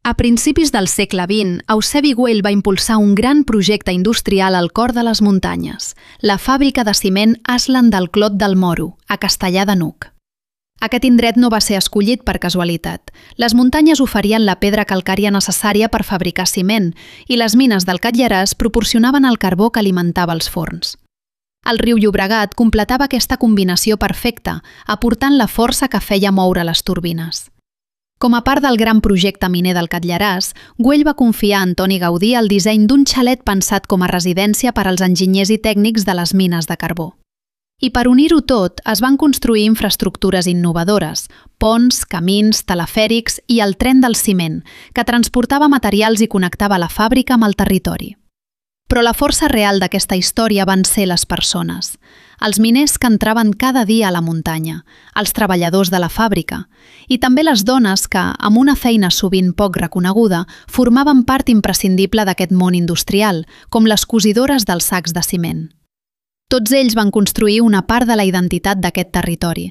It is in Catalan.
A principis del segle XX, Eusebi Güell va impulsar un gran projecte industrial al cor de les muntanyes, la fàbrica de ciment Aslan del Clot del Moro, a Castellar de n'Hug. Aquest indret no va ser escollit per casualitat. Les muntanyes oferien la pedra calcària necessària per fabricar ciment i les mines del Catllaràs proporcionaven el carbó que alimentava els forns. El riu Llobregat completava aquesta combinació perfecta, aportant la força que feia moure les turbines. Com a part del gran projecte miner del Catllaràs, Güell va confiar a Antoni Gaudí el disseny d'un xalet pensat com a residència per als enginyers i tècnics de les mines de carbó. I per unir-ho tot, es van construir infraestructures innovadores, ponts, camins, telefèrics i el tren del ciment, que transportava materials i connectava la fàbrica amb el territori. Però la força real d'aquesta història van ser les persones, els miners que entraven cada dia a la muntanya, els treballadors de la fàbrica, i també les dones que, amb una feina sovint poc reconeguda, formaven part imprescindible d'aquest món industrial, com les cosidores dels sacs de ciment. Tots ells van construir una part de la identitat d'aquest territori,